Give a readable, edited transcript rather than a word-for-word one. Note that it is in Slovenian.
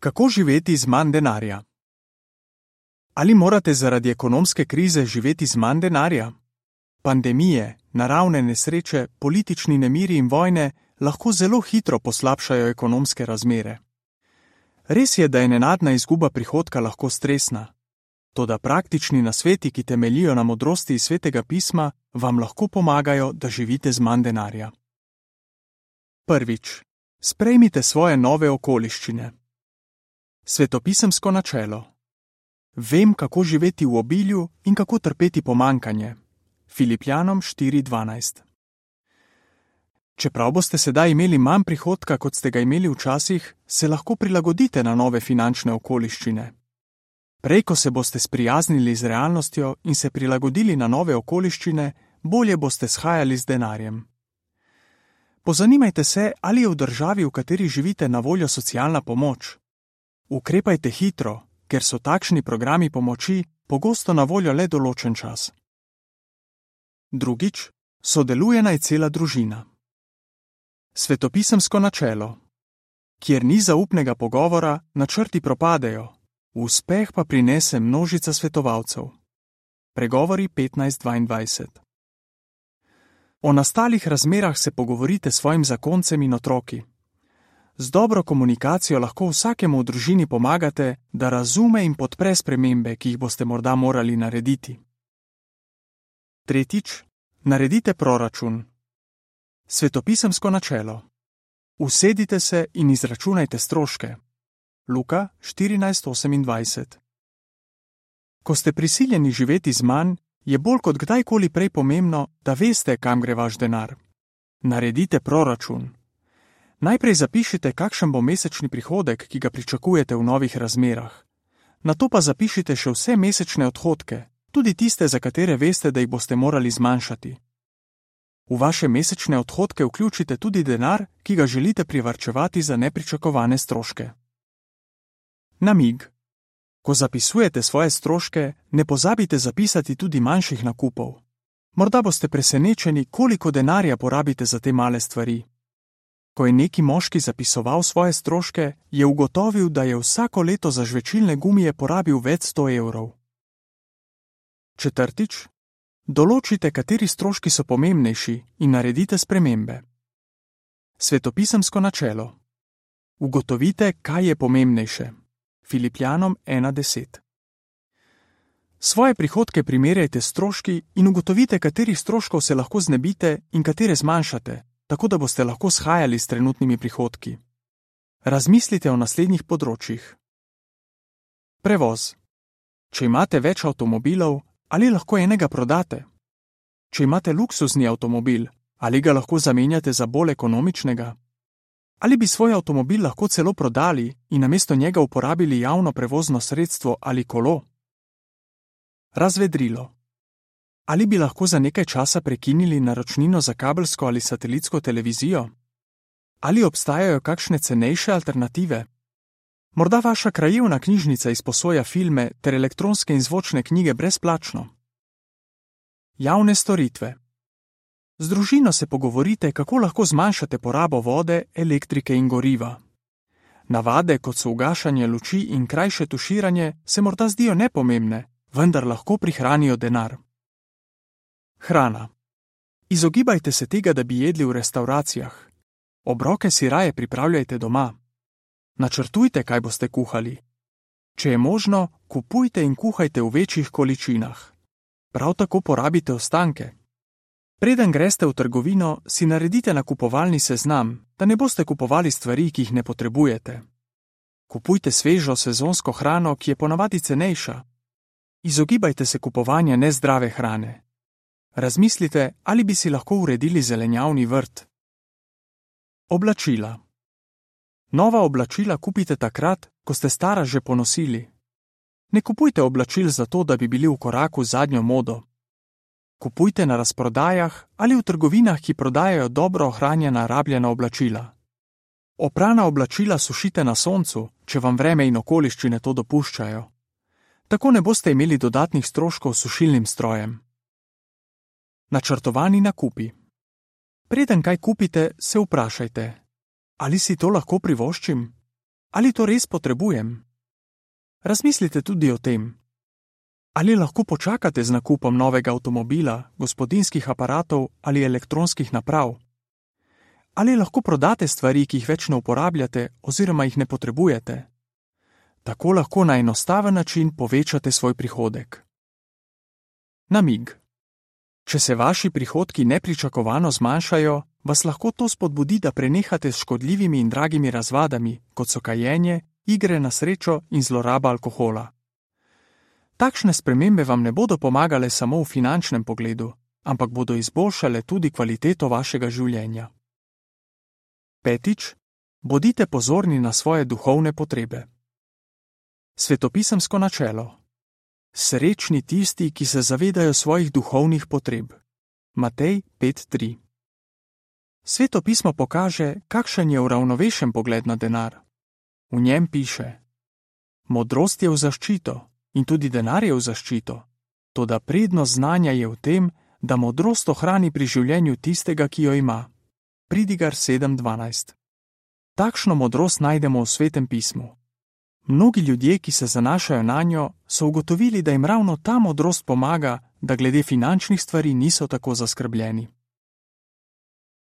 Kako živeti z manj denarja? Ali morate zaradi ekonomske krize živeti z manj denarja? Pandemije, naravne nesreče, politični nemiri in vojne lahko zelo hitro poslabšajo ekonomske razmere. Res je, da je nenadna izguba prihodka lahko stresna. Toda praktični nasveti, ki temeljijo na modrosti iz Svetega pisma, vam lahko pomagajo, da živite z manj denarja. Prvič, sprejmite svoje nove okoliščine. Svetopisemsko načelo. Vem, kako živeti v obilju in kako trpeti pomanjkanje. Filipljanom 4:12. Čeprav boste sedaj imeli manj prihodka, kot ste ga imeli včasih, se lahko prilagodite na nove finančne okoliščine. Prej, ko se boste sprijaznili z realnostjo in se prilagodili na nove okoliščine, bolje boste shajali z denarjem. Pozanimajte se, ali je v državi, v kateri živite, na voljo socialna pomoč. Ukrepajte hitro, ker so takšni programi pomoči pogosto na voljo le določen čas. Drugič, sodeluje naj cela družina. Svetopisemsko načelo. Kjer ni zaupnega pogovora, načrti propadejo, uspeh pa prinese množica svetovalcev. Pregovori 15:22. O nastalih razmerah se pogovorite s svojim zakoncem in otroki. Z dobro komunikacijo lahko vsakemu v družini pomagate, da razume in podpre spremembe, ki jih boste morda morali narediti. Tretjič, naredite proračun. Svetopisemsko načelo. Usedite se in izračunajte stroške. Luka 14:28. Ko ste prisiljeni živeti z manj, je bolj kot kdajkoli prej pomembno, da veste, kam gre vaš denar. Naredite proračun. Najprej zapišite, kakšen bo mesečni prihodek, ki ga pričakujete v novih razmerah. Nato pa zapišite še vse mesečne odhodke, tudi tiste, za katere veste, da jih boste morali zmanjšati. V vaše mesečne odhodke vključite tudi denar, ki ga želite privarčevati za nepričakovane stroške. Namig. Ko zapisujete svoje stroške, ne pozabite zapisati tudi manjših nakupov. Morda boste presenečeni, koliko denarja porabite za te male stvari. Ko je neki moški zapisoval svoje stroške, je ugotovil, da je vsako leto za žvečilne gumije porabil več 100 evrov. Četrtič, določite, kateri stroški so pomembnejši in naredite spremembe. Svetopisemsko načelo. Ugotovite, kaj je pomembnejše. Filipljanom 1:10. Svoje prihodke primerjajte s stroški in ugotovite, katerih stroškov se lahko znebite in katere zmanjšate, tako da boste lahko shajali s trenutnimi prihodki. Razmislite o naslednjih področjih. Prevoz. Če imate več avtomobilov, ali lahko enega prodate? Če imate luksuzni avtomobil, ali ga lahko zamenjate za bolj ekonomičnega? Ali bi svoj avtomobil lahko celo prodali in namesto njega uporabili javno prevozno sredstvo ali kolo? Razvedrilo. Ali bi lahko za nekaj časa prekinili naročnino za kabelsko ali satelitsko televizijo? Ali obstajajo kakšne cenejše alternative? Morda vaša krajevna knjižnica izposoja filme ter elektronske in zvočne knjige brezplačno. Javne storitve. Z družino se pogovorite, kako lahko zmanjšate porabo vode, elektrike in goriva. Navade, kot so ugašanje luči in krajše tuširanje, se morda zdijo nepomembne, vendar lahko prihranijo denar. Hrana. Izogibajte se tega, da bi jedli v restavracijah. Obroke si raje pripravljajte doma. Načrtujte, kaj boste kuhali. Če je možno, kupujte in kuhajte v večjih količinah. Prav tako porabite ostanke. Preden greste v trgovino, si naredite nakupovalni seznam, da ne boste kupovali stvari, ki jih ne potrebujete. Kupujte svežo sezonsko hrano, ki je ponavadi cenejša. Izogibajte se kupovanja nezdrave hrane. Razmislite, ali bi si lahko uredili zelenjavni vrt. Oblačila. Nova oblačila kupite takrat, ko ste stara že ponosili. Ne kupujte oblačil zato, da bi bili v koraku z zadnjo modo. Kupujte na razprodajah ali v trgovinah, ki prodajajo dobro ohranjena rabljena oblačila. Oprana oblačila sušite na soncu, če vam vreme in okoliščine to dopuščajo. Tako ne boste imeli dodatnih stroškov s sušilnim strojem. Načrtovani nakupi. Preden kaj kupite, se vprašajte, ali si to lahko privoščim? Ali to res potrebujem? Razmislite tudi o tem. Ali lahko počakate z nakupom novega avtomobila, gospodinjskih aparatov ali elektronskih naprav? Ali lahko prodate stvari, ki jih več ne uporabljate oziroma jih ne potrebujete? Tako lahko na enostaven način povečate svoj prihodek. Namig. Če se vaši prihodki nepričakovano zmanjšajo, vas lahko to spodbudi, da prenehate s škodljivimi in dragimi razvadami, kot so kajenje, igre na srečo in zloraba alkohola. Takšne spremembe vam ne bodo pomagale samo v finančnem pogledu, ampak bodo izboljšale tudi kvaliteto vašega življenja. 5. Bodite pozorni na svoje duhovne potrebe. Svetopisemsko načelo. Srečni tisti, ki se zavedajo svojih duhovnih potreb. Matej 5:3. Sveto pismo pokaže, kakšen je uravnovešen pogled na denar. V njem piše: modrost je v zaščito in tudi denar je v zaščito, toda prednost znanja je v tem, da modrost ohrani pri življenju tistega, ki jo ima. Pridigar 7:12. Takšno modrost najdemo v Svetem pismu. Mnogi ljudje, ki se zanašajo nanjo, so ugotovili, da jim ravno ta modrost pomaga, da glede finančnih stvari niso tako zaskrbljeni.